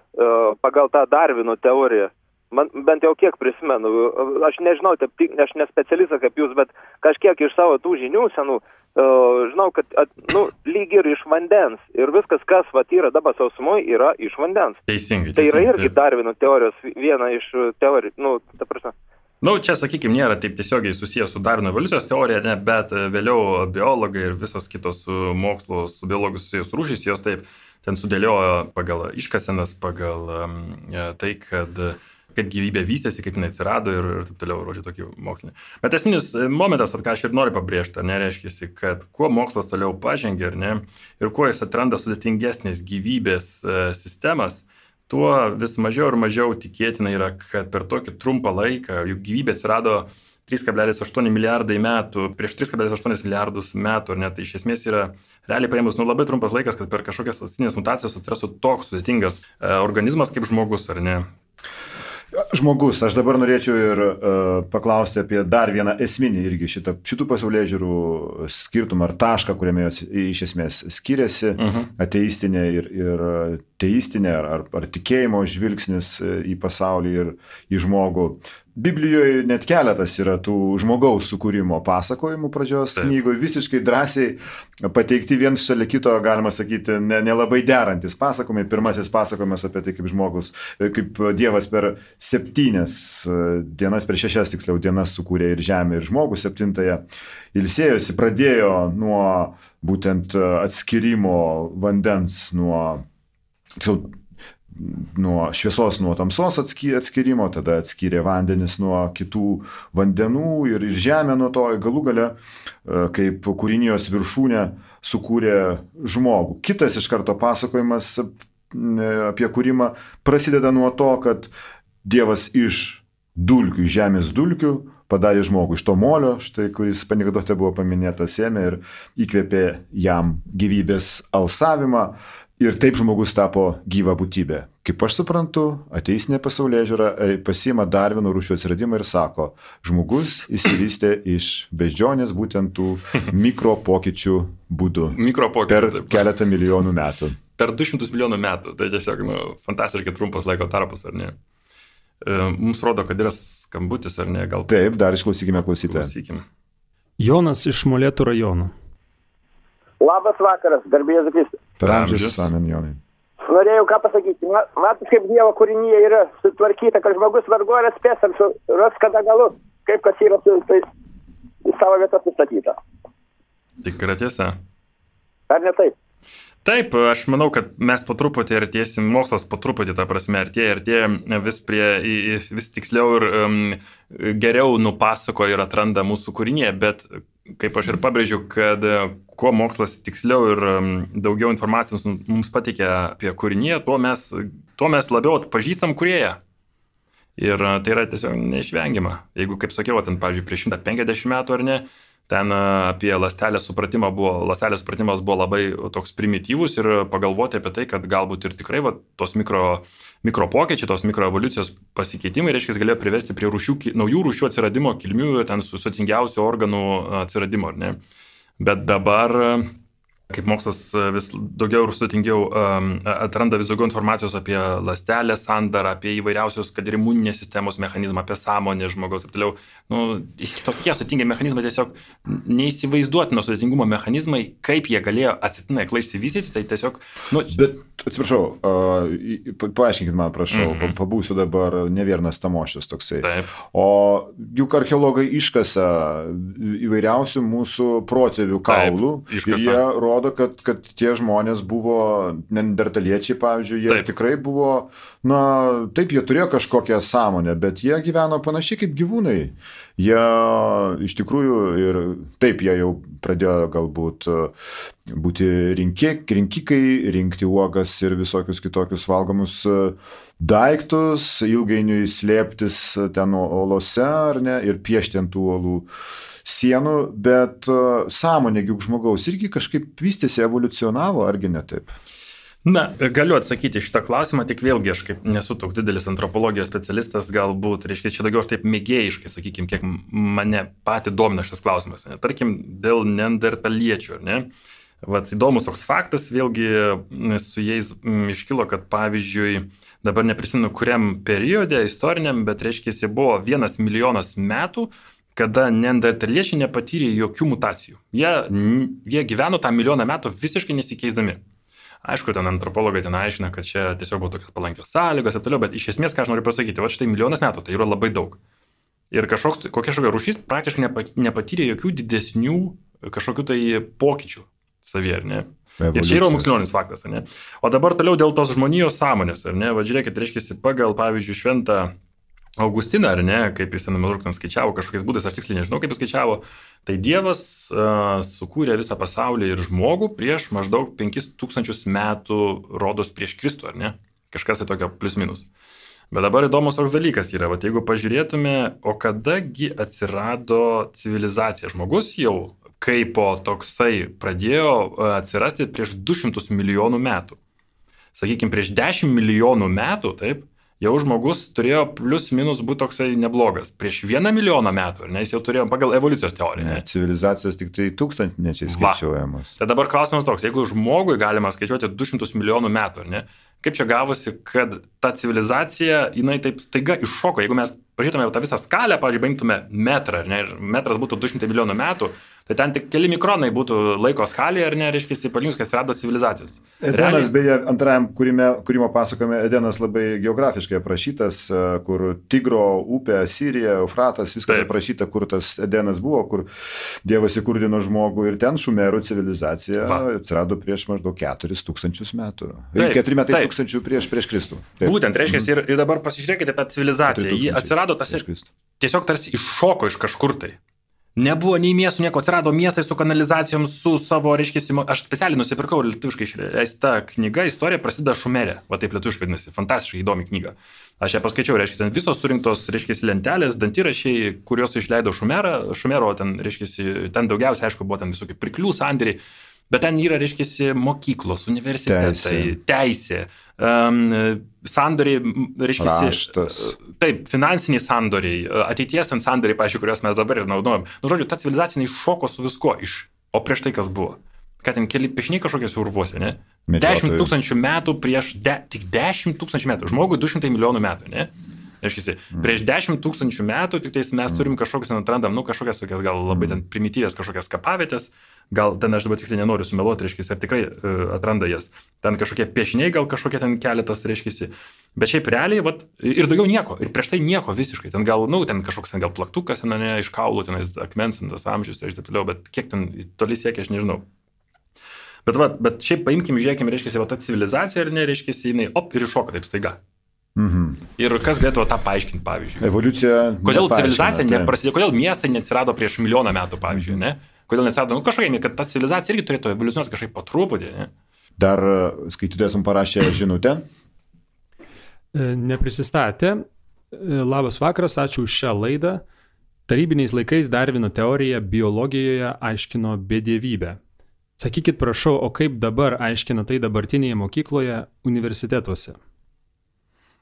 pagal tą Darvino teoriją. Man, bent jau kiek prisimenu, aš nežinau, taip, aš nespecialistas kaip jūs, bet kažkiek iš savo tų žinių senų, uh, žinau, kad at, nu, lyg ir iš vandens. Ir viskas, kas vat, yra dabar sausumoje, yra iš vandens. Teisingai. Tai teisingai, yra irgi Darvino teorijos viena iš teorijų, nu, ta prasme. Nu, čia, sakykime, nėra taip tiesiogiai susijęs su Darvino evoliucijos teorija, ne, bet vėliau biologai ir visos kitos su mokslu, su biologų susijęs rūšys, jos taip ten sudėliojo pagal iškasenas, pagal um, tai, kad kaip gyvybė vystėsi, kaip jinai atsirado ir, ir taip toliau, rodžiu, tokį mokslinį. Bet esminis momentas, vat, ką aš ir noriu pabrėžti, nereiškia, kad kuo mokslas toliau pažengia, ne, ir kuo jis atranda sudėtingesnės gyvybės e, sistemas, tuo vis mažiau ir mažiau tikėtina yra, kad per tokį trumpą laiką, juk gyvybė atsirado trys kablelis aštuoni milijardai metų, prieš trys kablelis aštuoni milijardus metų, ar ne, tai iš esmės yra realiai paėmus nu, labai trumpas laikas, kad per kažkokias ląstinės mutacijas atsirastų toks sudėtingas e, organizmas kaip žmogus, ar ne? Žmogus, aš dabar norėčiau ir uh, paklausti apie dar vieną esminį irgi šitą, šitų pasaulėžiūrų skirtumą ar tašką, kuriame jos iš esmės skiriasi, uh-huh. ateistinė ir, ir teistinė ar, ar, ar tikėjimo žvilgsnis į pasaulį ir į žmogų. Biblijoje net keletas yra tų žmogaus sukūrimo pasakojimų pradžios knygoje, visiškai drąsiai pateikti viens šalia kito, galima sakyti, nelabai ne derantis pasakojimai. Pirmasis pasakojimas apie tai, kaip žmogus, kaip Dievas per septynias dienas, per šešias tiksliau dienas sukūrė ir žemę, ir žmogų, septintąją ilsėjosi, pradėjo nuo būtent atskirimo vandens, nuo tiksliau, nuo šviesos, nuo tamsos atskyrimo, tada atskyrė vandenis nuo kitų vandenų ir, ir žemę nuo to, galų gale, kaip kūrinijos viršūnė sukūrė žmogų. Kitas iš karto pasakojimas apie kūrimą prasideda nuo to, kad Dievas iš dulkių, žemės dulkių padarė žmogų iš to molio, štai, kuris anekdote buvo paminėtas, ėmė ir įkvėpė jam gyvybės alsavimą. Ir taip žmogus tapo gyva būtybė. Kaip aš suprantu, ateistinė pasaulėžiūra pasiima Darvino rūšių atsiradimą ir sako, žmogus išsivystė iš beždžionės būtent tų mikro pokyčių būdu per keletą milijonų metų. Per du šimtus milijonų metų. Tai tiesiog nu, fantastiškai trumpas laiko tarpas, ar ne? Mums rodo, kad yra skambutis, ar ne? Gal... Taip, dar išklausykime klausytoją. Klausykime. Jonas iš Molėtų rajono. Labas vakaras, garbė Jėzus Kristus. Per amžius, amen, Jonai. Norėjau ką pasakyti. Matot, kaip Dievo kūrinyje yra sutvarkyta, kad žmogus vargu ar atspės, ar ras kada galus, kaip kas yra su, tai, į savo vietą sustatyta. Tikra tiesa. Ar ne taip? Taip, aš manau, kad mes po truputį artėsim, mokslas po truputį, ta prasme, artėja, artėja vis, prie, vis tiksliau ir um, geriau nupasako ir atranda mūsų kūrinyje, bet kaip aš ir pabrėžiu, kad kuo mokslas tiksliau ir daugiau informacijos mums pateikia apie kūriniją, tuo mes, tuo mes labiau atpažįstam kūrėją. Ir tai yra tiesiog neišvengiama. Jeigu, kaip sakiau, ten, pavyzdžiui, prieš šimtą penkiasdešimt metų ar ne, ten apie ląstelės supratimą buvo, ląstelės supratimas buvo labai toks primityvus ir pagalvoti apie tai, kad galbūt ir tikrai va, tos mikro, mikro pokyčiai, tos mikroevoliucijos pasikeitimai, reiškia, galėjo privesti prie rūšių, naujų rūšių atsiradimo, kilmių ir ten sudėtingiausių organų atsiradimo, ar ne? Bet dabar, kaip mokslas vis daugiau ir sudėtingiau atranda vis daugiau informacijos apie ląstelės sandarą, apie įvairiausius, kad ir imuninės sistemos mechanizmą, apie sąmonę žmogaus ir toliau. Nu, tokie sudėtingi mechanizmai, tiesiog neįsivaizduotino sudėtingumo mechanizmai, kaip jie galėjo atsitiktinai aklai išsivystyti, tai tiesiog... Nu... Bet, atsiprašau, uh, paaiškinkit man, prašau, mm-hmm. pabūsiu dabar ne vienas tamošius toksai. Taip. O juk archeologai iškasa įvairiausių mūsų protėvių kaulų. Taip, ir jie rodo, kad, kad tie žmonės buvo neandertaliečiai, pavyzdžiui, jie taip. Tikrai buvo, na, taip, jie turėjo kažkokią sąmonę, bet jie gyveno panašiai kaip gyvūnai. Jie iš tikrųjų ir taip, jie jau pradėjo galbūt būti rinkik, rinkikai, rinkti uogas ir visokius kitokius valgomus daiktus, ilgainiui slėptis ten olose ar ne, ir piešti ant tų olų sienų, bet sąmonė juk žmogaus irgi kažkaip vystėsi, evoliucionavo, argi ne taip? Na, galiu atsakyti šitą klausimą, tik vėlgi aš kaip nesu toks didelis antropologijos specialistas, galbūt, reiškia, čia daugiau taip mėgėjiškai, sakykime, kiek mane patį domina šitas klausimas. Ne? Tarkim, dėl neandertaliečių, ar ne? Vat įdomus toks faktas, vėlgi su jais iškilo, kad pavyzdžiui, dabar neprisimenu, kuriam periode istoriniam, bet reiškia, jis buvo vienas milijonas metų, kada neandertaliečiai nepatyrė jokių mutacijų. Jie, jie gyveno tą milijoną metų visiškai nesikeisdami. Aišku, ten antropologai ten aiškina, kad čia tiesiog buvo tokios palankios sąlygos ir toliau, bet iš esmės, ką aš noriu pasakyti, va štai milijonas metų, tai yra labai daug. Ir kažkoks, kokia šokia rūšys praktiškai nepatyrė jokių didesnių kažkokių tai pokyčių savyje, ar ne? Ir čia yra mokslinis faktas, ar ne? O dabar toliau dėl tos žmonijos sąmonės, ar ne? Va žiūrėkit, reiškia, pagal, pavyzdžiui, šventą Augustiną, ar ne, kaip jis maždaug ten skaičiavo kažkokiais būdais, aš tiksliai nežinau, kaip jis skaičiavo, tai Dievas uh, sukūrė visą pasaulį ir žmogų prieš maždaug penkis tūkstančius metų rodos prieš Kristų, ar ne? Kažkas tai tokio plius minus. Bet dabar įdomus toks dalykas yra, vat jeigu pažiūrėtume, o kadagi atsirado civilizacija, žmogus jau kaipo toksai pradėjo atsirasti prieš du šimtus milijonų metų. Sakykime, prieš dešimt milijonų metų, taip, jau žmogus turėjo plius minus būti toksai neblogas. Prieš vieną milijoną metų, ar ne, jis jau turėjo pagal evoliucijos teoriją. Ne, civilizacijos tik tai tūkstantmečiai skaičiuojamos. Tai dabar klausimas toks, jeigu žmogui galima skaičiuoti du šimtus milijonų metų, ar ne, kaip čia gavosi, kad ta civilizacija, jinai taip staiga iššoko, jeigu mes pažiūrėtume tą visą skalę, pavyzdžiui, paimtume metrą, ar ne, ir metras būtų du šimtai milijonų metų, tai ten tik keli mikronai būtų laiko skalėje, ar ne, reiškia, palyginus, kas rado civilizacijos. Edenas, realiai... beje, antrajam kūrime, kūrimo pasakojime, Edenas labai geografiškai aprašytas, kur Tigro upė, Sirija, Eufratas, viskas taip aprašyta, kur tas Edenas buvo, kur Dievas įkurdino žmogų ir ten šumerų civilizacija Va. atsirado prieš maždaug keturis tūkstančius metų. Taip, keturi metai taip. tūkstančių prieš, prieš Kristų. Taip. Būtent, reiškia, ir, ir dabar pasižiūrėkite tą civilizaciją. Ji atsirado tas, tiesiog tarsi iššoko iš kažkur tai. Nebuvo nei miestų, nieko, atsirado miestai su kanalizacijom, su savo, reiškia, aš specialiai nusipirkau lietuviškai išleista knyga, istorija prasideda Šumerė, va taip lietuviškai vadinasi, fantastiškai įdomi knyga. Aš ją paskaičiau, reiškia, ten visos surinktos, reiškia, lentelės, dantirašiai, kuriuos išleido Šumerą, Šumero, ten, reiškia, ten daugiausiai, aišku, buvo ten visokie pirklių sandėriai, bet ten yra, reiškia, mokyklos, universitetai, teisė, teisė um, sandoriai, reiškia, taip, finansiniai sandoriai, ateities ten sandoriai, pavyzdžiui, kuriuos mes dabar ir naudojam. Nu, žodžiu, ta civilizacija iššoko su visko, iš, o prieš tai kas buvo? Kad ten keli piešiniai kažkokios urvuose, ne? Dešimt tūkstančių metų prieš, de, tik dešimt tūkstančių metų, žmogui du šimtai milijonų metų, ne? Reiškia, mm. prieš dešimt tūkstančių metų tik tais mes turim kažkokias, atrandam, nu, kažkokias tokias gal labai ten primityvės kažkokias kapavietės, gal ten aš dabar tiksliai nenoriu sumeluoti, reiškia, ar tikrai uh, atranda jas. Ten kažkokie piešiniai, gal kažkokie ten keletas, reiškia, bet šiaip realiai, vat, ir daugiau nieko, ir prieš tai nieko visiškai, ten gal, nu, ten kažkoks ten gal plaktukas, ten, ne, iš kaulų, ten akmens, tas amžius, ir taip toliau, bet kiek ten toli siekia, aš nežinau. Bet, va, bet šiaip paimkim, žiūrėkim, reiškia, va ta civilizacija, ar ne, reiškia, jinai, op, ir iššoka taip staiga. Mhm. Ir kas galėtų tą paaiškinti, pavyzdžiui? Evoliucija. Kodėl civilizacija tai. neprasidėjo, kodėl miestai neatsirado prieš milijoną metų, pavyzdžiui, ne? Kodėl neatsirado, nu kažkaip, kad ta civilizacija irgi turėtų evoliucionuoti kažkaip po truputį, ne? Dar skaitytojas mums parašė žinutę. Neprisistatė. Labas vakaras, ačiū už šią laidą. Tarybiniais laikais Darvino teorija biologijoje aiškino bedievybę. Sakykit, prašau, o kaip dabar aiškina tai dabartinėje mokykloje, universitetuose?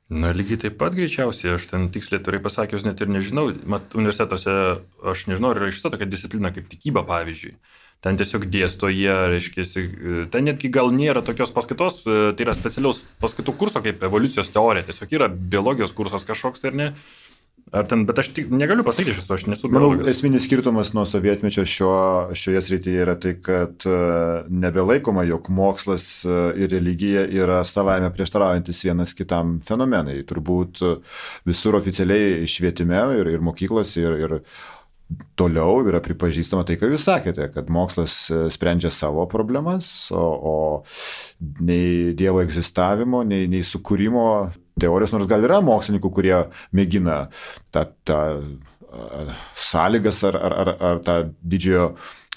Na, lygiai taip pat greičiausiai, aš ten tiksliai turiu pasakius, net ir nežinau, mat, universitetuose aš nežinau, ar yra iš tokia disciplina kaip tikyba, pavyzdžiui. Ten tiesiog dėsto jie, reiškia, ten netgi gal nėra tokios paskaitos, tai yra specialiaus paskaitų kurso kaip evoliucijos teorija, tiesiog yra biologijos kursas kažkoks, tai ar ne? Ar ten, bet aš tik negaliu pasakyti iš viso, aš nesu biologas. Manau, esminis skirtumas nuo sovietmečio šio, šioje srityje yra tai, kad nebelaikoma, jog mokslas ir religija yra savaime prieštaraujantis vienas kitam fenomenai. Turbūt visur oficialiai švietime ir, ir mokyklos ir, ir toliau yra pripažįstama tai, ką jūs sakėte, kad mokslas sprendžia savo problemas, o, o nei Dievo egzistavimo, nei, nei sukūrimo teorijos, nors gal yra mokslininkų, kurie mėgina tą, tą sąlygas ar, ar, ar, ar tą didžiojo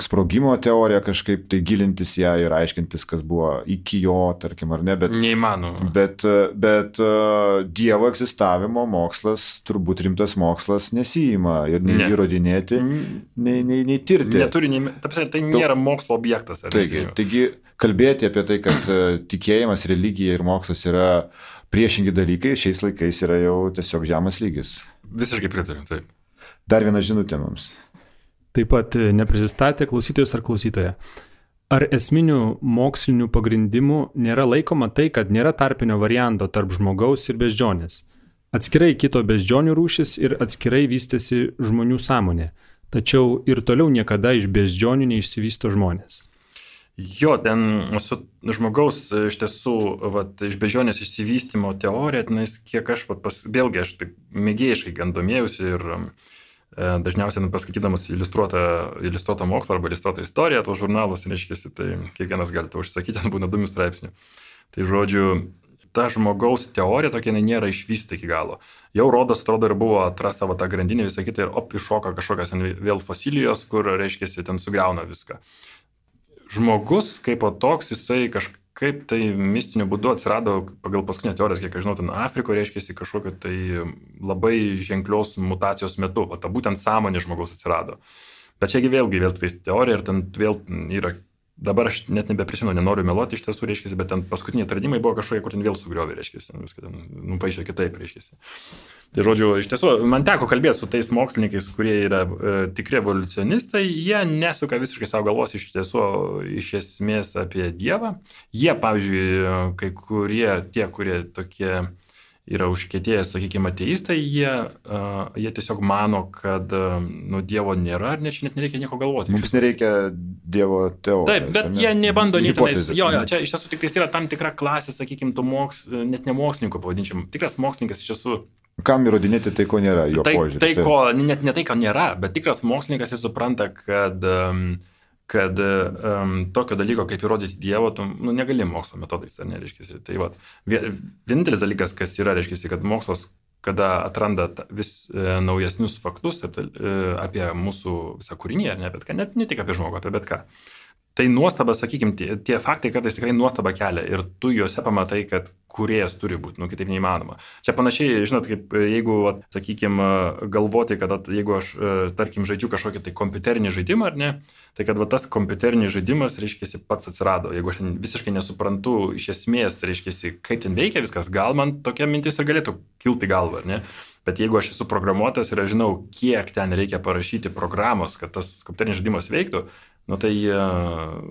sprogimo teoriją kažkaip tai gilintis ją ir aiškintis, kas buvo iki jo, tarkim, ar ne, bet, neįmanoma. Bet, bet Dievo egzistavimo mokslas, turbūt rimtas mokslas nesijima ir nei ne. įrodinėti, nei, nei, nei tirti. Neturi, nei, tapsi, tai nėra mokslo objektas. Taigi, taigi kalbėti apie tai, kad tikėjimas, religija ir mokslas yra priešingi dalykai, šiais laikais yra jau tiesiog žemas lygis. Visiškai pritariu, taip. Dar viena žinutė mums. Taip pat neprisistatė klausytojus ar klausytoja. Ar esminių mokslinių pagrindimų nėra laikoma tai, kad nėra tarpinio varianto tarp žmogaus ir beždžionės? Atskirai kito beždžionių rūšis ir atskirai vystėsi žmonių sąmonė, tačiau ir toliau niekada iš beždžionių neišsivysto žmonės. Jo, ten su žmogaus iš tiesų, vat, iš beždžionės išsivystymo teorija, tenais kiek aš, vat, pas, vėlgi aš taip mėgėjiškai gan domėjausi ir e, dažniausiai paskaitydamas iliustruotą, iliustruotą mokslą arba iliustruotą istoriją, tos žurnalus, reiškia, tai kiekvienas gali to užsakyti, ten būna įdomių straipsnių. Tai žodžiu, ta žmogaus teorija tokia nėra išvystyta iki galo. Jau rodos, atrodo, ir buvo atrasta va, ta grandinė, visą kitą ir op, iššoka kažkokios vėl fosilijos, kur, reiškia, ten sugriauna viską. Žmogus kaip o toks, jisai kažkaip tai mistiniu būdu atsirado pagal paskutinę teoriją, kiek aš žinau, ten Afrikoje reiškia kažkokio tai labai ženklios mutacijos metu, o ta būtent sąmonė žmogaus atsirado. Bet čiagi vėlgi vėl tai teorija ir ten vėl yra, dabar aš net nebeprisimenu, nenoriu meluoti iš tiesų, reiškia, bet ten paskutiniai atradimai buvo kažkokie, kur ten vėl sugriovė, reiškia, viską ten nupaišė kitaip, reiškia. Tai žodžiu, iš tiesų, man teko kalbėti su tais mokslininkais, kurie yra e, tikri evoliucionistai, jie nesuka visiškai savo galvos iš tiesų, iš esmės apie Dievą. Jie, pavyzdžiui, kai kurie, tie, kurie tokie yra užkietėję, sakykime, ateistai, jie, uh, jie tiesiog mano, kad uh, nu, Dievo nėra ir net, net nereikia nieko galvoti. Mums nereikia Dievo teorijos. Taip, bet ne? Jie nebando nei tenais. Jo, jo, čia iš tiesų tik tais yra tam tikra klasė, sakykime, tų moks, net ne mokslininkų pavadinčiam. Tikras mokslininkas iš tiesų. Kam įrodinėti tai, ko nėra, jo tai, požiūrį. Tai, ko, net ne tai, ko nėra, bet tikras mokslininkas jis supranta, kad, kad um, tokio dalyko, kaip įrodyti Dievo, tu nu, negali mokslo metodais, ar ne, reiškia. Tai va, vienintelis dalykas, kas yra, reiškia, kad mokslas, kada atranda vis e, naujesnius faktus taip, e, apie mūsų visą kūrinį, ar ne, bet ką, net ne tik apie žmogų, apie bet ką. Tai nuostaba, sakykime, tie, tie faktai kartais tikrai nuostaba kelia ir tu juose pamatai, kad kūrėjas turi būti, nu kitaip neįmanoma. Čia panašiai, žinot, kaip jeigu, sakykime, galvoti, kad jeigu aš, tarkim, žaidžiu kažkokį tai kompiuterinį žaidimą, ar ne, tai kad va, tas kompiuterinis žaidimas, reiškia, pats atsirado. Jeigu aš visiškai nesuprantu iš esmės, reiškia, kaip ten veikia viskas, gal man tokia mintis ir galėtų kilti galvą, ar ne? Bet jeigu aš esu programuotojas ir aš žinau, kiek ten reikia parašyti programos, kad tas kompiuterinis žaidimas veiktų, nu tai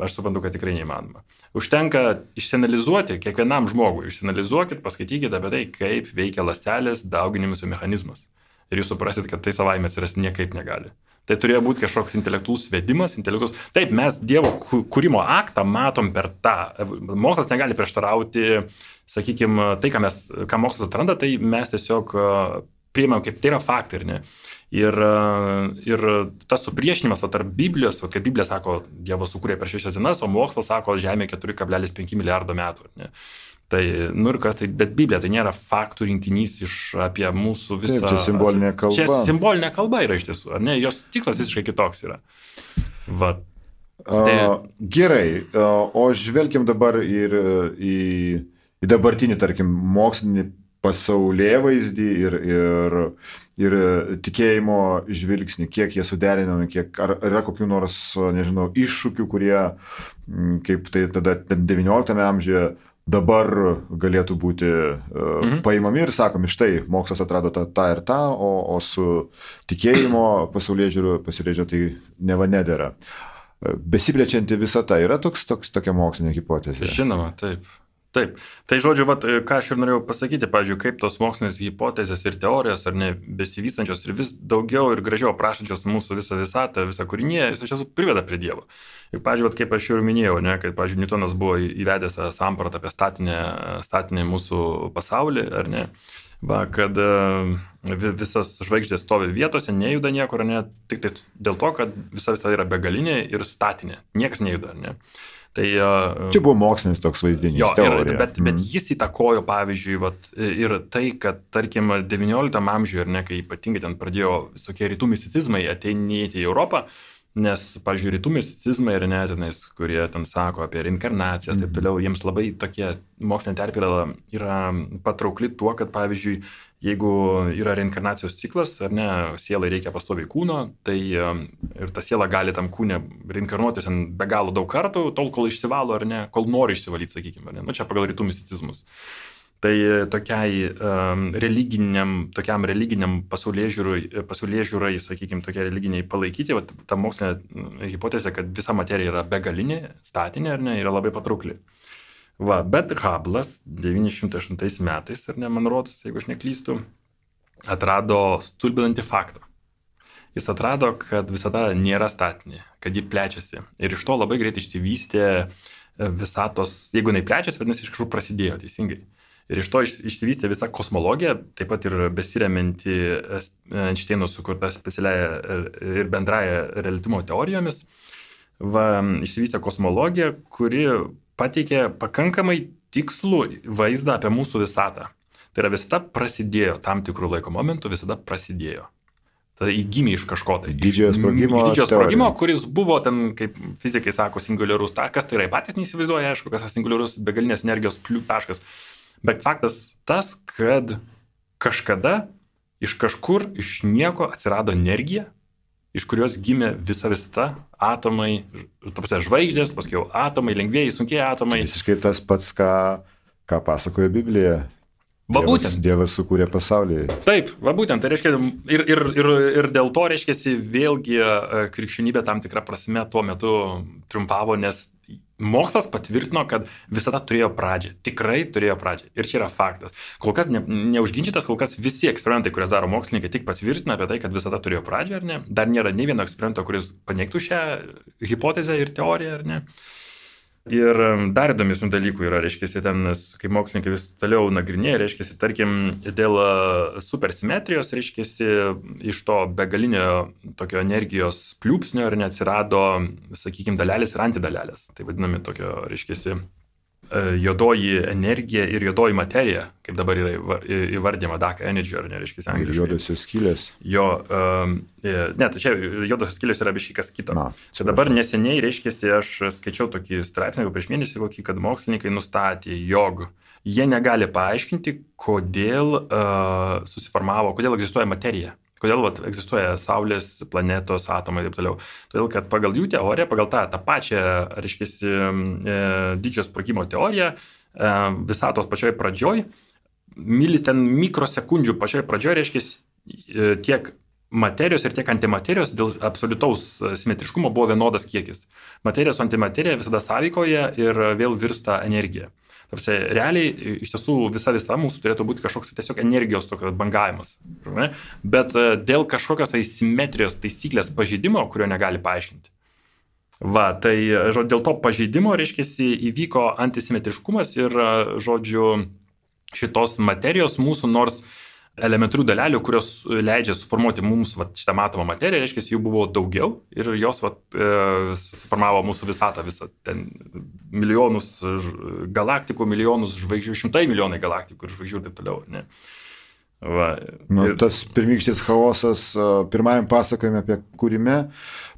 aš suprantu, kad tikrai neįmanoma. Užtenka išsianalizuoti kiekvienam žmogui, išsianalizuokit, paskaitykite apie tai, kaip veikia ląstelės dauginimus mechanizmas. Ir jūs suprasit, kad tai savaime atsirasti niekaip negali. Tai turėjo būti kažkoks intelektualus vedimas, intelektualus. Taip, mes Dievo kūrimo aktą matom per tą. Mokslas negali prieštarauti, sakykime, tai, ką, mes, ką mokslas atranda, tai mes tiesiog priimam, kaip tai yra faktai, ne? Ir, ir tas supriešinimas tarp Biblijos, kaip Biblija sako, Dievas sukūrė per šešias dienas, o mokslas sako, Žemė keturi kablelis penki milijardo metų. Ne? Tai, nu ir kas, tai, bet Biblija tai nėra faktų rinkinys iš apie mūsų visą... Taip, čia simbolinė kalba. Čia simbolinė kalba yra iš tiesų, ar ne? Jos tikslas visiškai kitoks yra. Va. Tai... A, gerai, a, o žvelgiam dabar ir į, į dabartinį, tarkim, mokslinį pasaulėvaizdį ir, ir, ir tikėjimo žvilgsnį, kiek jie suderinami, kiek, ar yra kokių nors, nežinau, iššūkių, kurie, kaip tai tada devynioliktame amžiuje, dabar galėtų būti uh, mhm. paimami ir sakomi, štai, mokslas atrado tą, tą ir tą, o, o su tikėjimo pasaulėžiūru pasižiūrėjau, tai neva nedėra. Besiplečianti visata yra toks, toks, tokia mokslinė hipotezė? Žinoma, taip. Taip. Tai žodžiu, vat, ką aš ir norėjau pasakyti, pavyzdžiui, kaip tos mokslinės hipotezės ir teorijos, ar ne, besivystančios ir vis daugiau ir gražiau aprašančios mūsų visą visatą, visą kūrinį, jis iš tiesų priveda prie Dievo. Ir, pavyzdžiui, vat, kaip aš jau minėjau, ne, kad, pavyzdžiui, Newtonas buvo įvedęs sampratą apie statinę, statinę mūsų pasaulį, ar ne, va, kad visas žvaigždės stovi vietose, nejuda niekur, ne, tik tai dėl to, kad visa visa yra begalinė ir statinė, niekas nejuda, ne. Tai, čia buvo mokslinis toks vaizdinys, jo, teorija. Ir, bet, bet jis įtakojo, pavyzdžiui, vat, ir tai, kad, tarkim, devynioliktam amžiuje, ar ne, kai ypatingai ten pradėjo visokie rytų misticizmai ateinėti į Europą, nes, pavyzdžiui, rytų misticizmai ir netinais, kurie ten sako apie reinkarnacijas, mm. taip toliau, jiems labai tokie mokslinė terpė yra, yra patraukli tuo, kad, pavyzdžiui, jeigu yra reinkarnacijos ciklas, ar ne, sielai reikia pastoviai kūno, tai ir ta siela gali tam kūne reinkarnuotis be galo daug kartų, tol, kol išsivalo, ar ne, kol nori išsivalyti, sakykime, ar ne, nu čia pagal rytų misticizmus. Tai tokiai um, religiniam, tokiam religiniam pasaulėžiūrai, pasaulėžiūrai, sakykime, tokiai religiniai palaikyti, va, ta mokslinė hipotezė, kad visa materija yra begalinė, statinė, ar ne, yra labai patraukli. Va, bet Hubble'as devyni šimtai aštuntais metais, ar ne, man rodos, jeigu aš neklystu, atrado stulbinantį faktą. Jis atrado, kad visada nėra statinė, kad ji plečiasi. Ir iš to labai greit išsivystė visatos, jeigu jinai plečiasi, vadinasi, iš kažkur prasidėjo teisingai. Ir iš to išsivystė visa kosmologija, taip pat ir besiremianti Einšteino sukurta specialiaja ir bendraja reliatyvumo teorijomis. Va, išsivystė kosmologija, kuri pateikė pakankamai tikslų vaizdą apie mūsų visatą. Tai yra visata prasidėjo tam tikrų laiko momentų, visada prasidėjo. Tada įgimė iš kažko tai. Didžiojo sprogimo. Didžiojo sprogimo, kuris buvo ten, kaip fizikai sako, singuliarus taškas, tai yra patys neįsivaizduoja, aišku, kas yra singuliarus begalinės energijos taškas. Bet faktas tas, kad kažkada iš kažkur, iš nieko atsirado energija, iš kurios gimė visa visata, atomai, tapsia žvaigždės, paskui jau atomai, lengvieji, sunkiai atomai. Visiškai tas pats, ką, ką pasakoja Biblija. Va Dievas, būtent. Dievas sukūrė pasaulį. Taip, va būtent. Tai reiškia, ir, ir, ir, ir dėl to, reiškia, vėlgi krikščionybė tam tikrą prasme tuo metu triumfavo, nes mokslas patvirtino, kad visada turėjo pradžią. Tikrai turėjo pradžią. Ir čia yra faktas. Kol kas ne, neužginčytas, kol kas visi eksperimentai, kurias daro mokslininkai, tik patvirtina apie tai, kad visada turėjo pradžią, ar ne? Dar nėra nei vieno eksperimento, kuris paneigtų šią hipotezę ir teoriją, ar ne? Ir dar įdomesnių dalykų yra, reiškia, ten, kai mokslininkai vis toliau nagrinėja, reiškia, tarkim, dėl supersimetrijos, reiškia, iš to begalinio tokio energijos pliūpsnio ir neatsirado, sakykime, dalelės ir antidalelės. Tai vadinami tokio, reiškia, juodoji energija ir juodoji materija, kaip dabar yra įvardyma dark energy, ar ne, reiškia, angliškai. Juodosios skylės. Jo, um, ne, tai čia juodosios skylės yra biškai kas kita. Na, čia dabar neseniai, reiškia, aš skaičiau tokį straipsnį, jau prieš mėnesį kokį, kad mokslininkai nustatė, jog jie negali paaiškinti, kodėl uh, susiformavo, kodėl egzistuoja materija. Kodėl vat, egzistuoja Saulės, planetos, atomai ir taip toliau. Todėl, kad pagal jų teoriją, pagal tą, tą pačią, reiškia, e, didžiojo sprogimo teoriją, e, visatos pačioj pradžioj, milis ten mikrosekundžių pačioj pradžioj, reiškia, e, tiek materijos ir tiek antimaterijos dėl absoliutaus simetriškumo buvo vienodas kiekis. Materijos su antimaterija visada sąveikoja ir vėl virsta energija. Tarsi, realiai, iš tiesų, visa visa mūsų turėtų būti kažkoks tiesiog energijos tokio bangavimas. Ne? Bet dėl kažkokios tai simetrijos taisyklės pažeidimo, kurio negali paaiškinti. Va, tai žodžiu, dėl to pažeidimo, reiškia, įvyko antisimetriškumas ir, žodžiu, šitos materijos mūsų nors elementarių dalelių, kurios leidžia suformuoti mums vat, šitą matomą materiją, reiškia, jų buvo daugiau ir jos vat, e, suformavo mūsų visatą, visą ten milijonus galaktikų, milijonus žvaigždžių, šimtai milijonai galaktikų ir žvaigždžių ir taip toliau. Ne? Va, nu, ir... Tas pirmykštis chaosas, pirmajam pasakojime apie kūrime,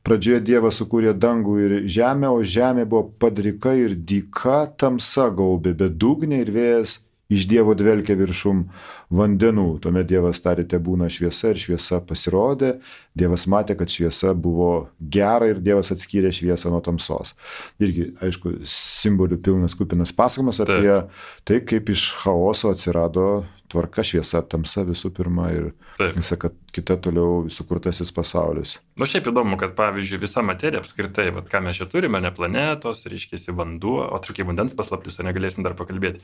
pradžioje Dievas sukūrė dangų ir žemę, o žemė buvo padrika ir dyka, tamsa gaubė bedugnė ir vėjas iš Dievo dvelkė viršum vandenų. Tuomet Dievas tarė, te būna šviesa ir šviesa pasirodė. Dievas matė, kad šviesa buvo gera ir Dievas atskyrė šviesą nuo tamsos. Irgi, aišku, simbolių pilnas kupinas pasakojimas apie Taip. tai, kaip iš chaoso atsirado tvarka, šviesa, tamsa visų pirma ir Taip. visa kita toliau sukurtasis pasaulis. Nu šiaip įdomu, kad pavyzdžiui visa materija apskritai, vat, ką mes čia turime, ne planetos, reiškia vanduo, o trukiai vandens paslaptis, ar negalėsim dar pakalbėti.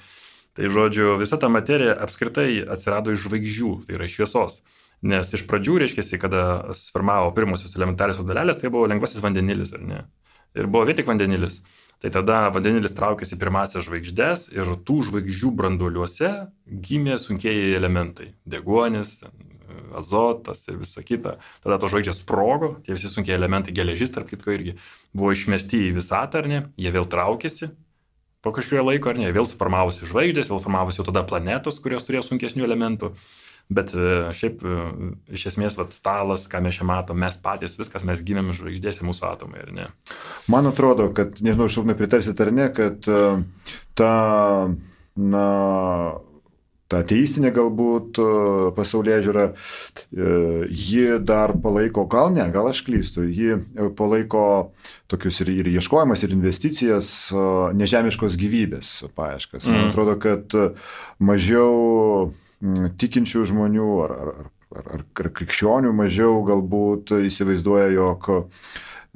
Tai žodžiu, visa ta materija apskritai atsirado iš žvaigždžių, tai yra iš šviesos. Nes iš pradžių, reiškia, kada suformavo pirmosios elementarios dalelės, tai buvo lengvasis vandenilis, ar ne? Ir buvo vien tik vandenilis. Tai tada vandenilis traukėsi pirmąsias žvaigždės ir tų žvaigždžių branduoliuose gimė sunkieji elementai. Deguonis, azotas ir visa kita. Tada to žvaigždės sprogo, tie visi sunkiai elementai, geležis, tarp kitko irgi, buvo išmesti į visatą, ar ne? Jie vėl traukėsi. Po kažkurio laiko, ar ne, vėl suformavosi žvaigždės, vėl formavosi jau tada planetos, kurios turėjo sunkesnių elementų. Bet šiaip iš esmės vat, stalas, ką mes čia matom, mes patys, viskas, mes gimėm žvaigždėse mūsų atomai, ar ne? Man atrodo, kad, nežinau, Šarūnai pritarsit ar ne, kad ta, na, ta ateistinė galbūt pasaulėžiūra, ji dar palaiko, gal ne, gal aš klystu, ji palaiko tokius ir, ir ieškojimas, ir investicijas, nežemiškos gyvybės paieškas. Man atrodo, kad mažiau tikinčių žmonių ar, ar, ar, ar, ar krikščionių mažiau galbūt įsivaizduoja, jog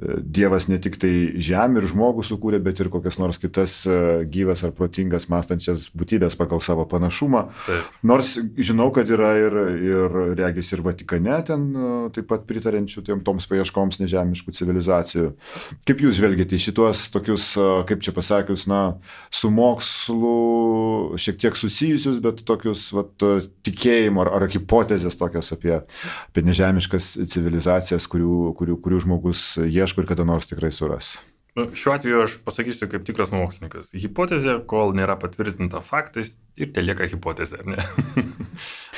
Dievas ne tik tai žemę ir žmogų sukūrė, bet ir kokias nors kitas gyvas ar protingas mąstančias būtybės pagal savo panašumą. Taip. Nors žinau, kad yra ir, ir regis ir Vatikane ten taip pat pritarenčių toms paieškoms nežemiškų civilizacijų. Kaip jūs žvelgiate į šitos tokius, kaip čia pasakius, na, su mokslu šiek tiek susijusius, bet tokius vat, tikėjimo ar, ar hipotezės tokios apie, apie nežemiškas civilizacijas, kurių, kurių, kurių žmogus ieško ir kada nors tikrai suras. Nu, šiuo atveju aš pasakysiu kaip tikras mokslininkas. Hipotezė, kol nėra patvirtinta faktais, ir te lieka hipotezė, ar ne?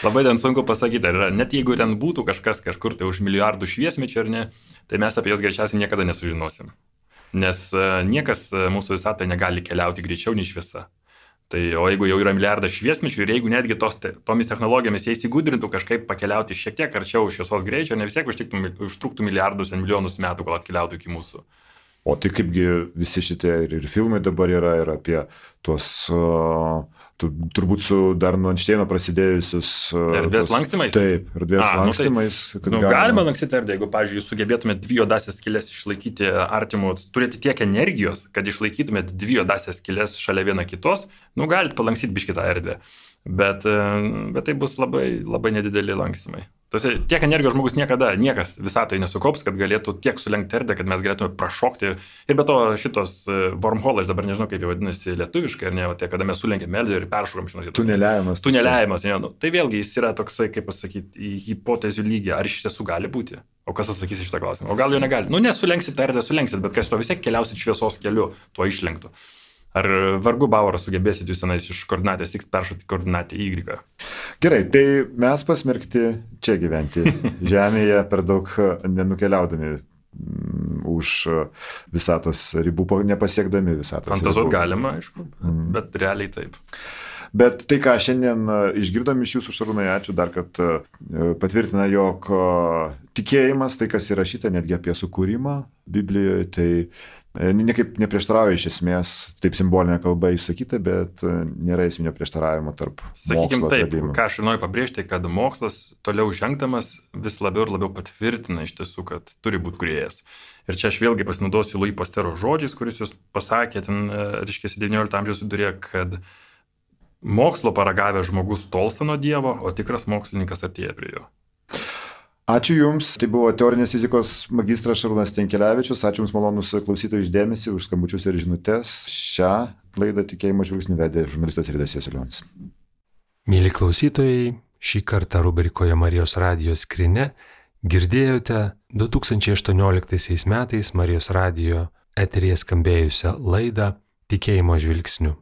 Labai ten sunku pasakyti, ar yra. Net jeigu ten būtų kažkas kažkur tai už milijardų šviesmečių, ar ne, tai mes apie jos greičiausiai niekada nesužinosim. Nes niekas mūsų visatoje negali keliauti greičiau nei šviesa. Tai, o jeigu jau yra milijardas šviesmečių ir jeigu netgi tos, tomis technologijomis jie įsigudrintų kažkaip pakeliauti šiek tiek arčiau šviesos greičio, ne vis tiek užtruktų milijardus ir milijonus metų, kol atkeliautų iki mūsų. O tai kaipgi visi šitie ir, ir filmai dabar yra ir apie tuos, uh, tu, turbūt su dar nuo Einšteino prasidėjusius... Uh, erdvės lankstymais? Taip, erdvės A, lankstymais. Nu, tai, nu, galima, galima lankstyti erdvę, jeigu, pavyzdžiui, jūs sugebėtumėte dvi juodasias skylės išlaikyti artimų, turėti tiek energijos, kad išlaikytumėte dvi juodasias skylės šalia viena kitos, nu, galite palankstyti biškį tą erdvę. Bet, bet tai bus labai, labai nedideli lankstymai. Tose, tiek energijos žmogus niekada, niekas visatoje nesukops, kad galėtų tiek sulenkti erdvę, kad mes galėtume prašokti. Ir be to šitos wormhole, aš dabar nežinau, kaip jau vadinasi lietuviškai, ar ne, tai kada mes sulenkėme erdvę ir peršokom. Tuneliavimas. Tuneliavimas, ne, nu, tai vėlgi jis yra toksai, kaip pasakyti, į hipotezių lygį, ar iš tiesų gali būti. O kas atsakys į šitą klausimą? O gal jo negali? Nu, nesulenksit erdvę, sulenksit, bet kas to vis tiek keliausit šviesos keliu, tuo išlenktų. Ar vargu Bauerą sugebėsit jūs senais iš koordinatės X peršokti koordinatę Y? Gerai, tai mes pasmerkti čia gyventi Žemėje per daug nenukeliaudami už visatos ribų, nepasiekdami visatos ribų. Fantazuot galima, aišku, mm. bet realiai taip. Bet tai, ką šiandien išgirdom iš jūsų, Šarūnai, ačiū dar, kad patvirtina, jog tikėjimas, tai kas įrašyta netgi apie sukūrimą Biblijoje, tai niekaip neprieštarauja iš esmės, taip simbolinė kalba išsakyta, bet nėra esminio prieštaravimo tarp Sakykim, mokslo taip, atradimų. Ką aš noriu pabrėžti, kad mokslas toliau žengdamas vis labiau ir labiau patvirtina iš tiesų, kad turi būti kūrėjas. Ir čia aš vėlgi pasinaudosiu Louis Pasteuro žodžiais, kuris jūs pasakė, ten, reiškia, devyniolikto amžiaus vidurėje, kad mokslo paragavęs žmogus tolsta nuo Dievo, o tikras mokslininkas artėja prie jo. Ačiū Jums, tai buvo teorinės fizikos magistras Šarūnas Tenkelevičius, ačiū Jums malonus klausytojų išdėmesį, už skambučius ir žinutes. Šią laidą Tikėjimo žvilgsniu vedė žurnalistas Ridas Jasiulionis. Mėly klausytojai, Šį kartą rubrikoje Marijos radijo skrynia girdėjote du tūkstančiai aštuonioliktaisiais metais Marijos radijo eteryje skambėjusią laidą Tikėjimo žvilgsniu.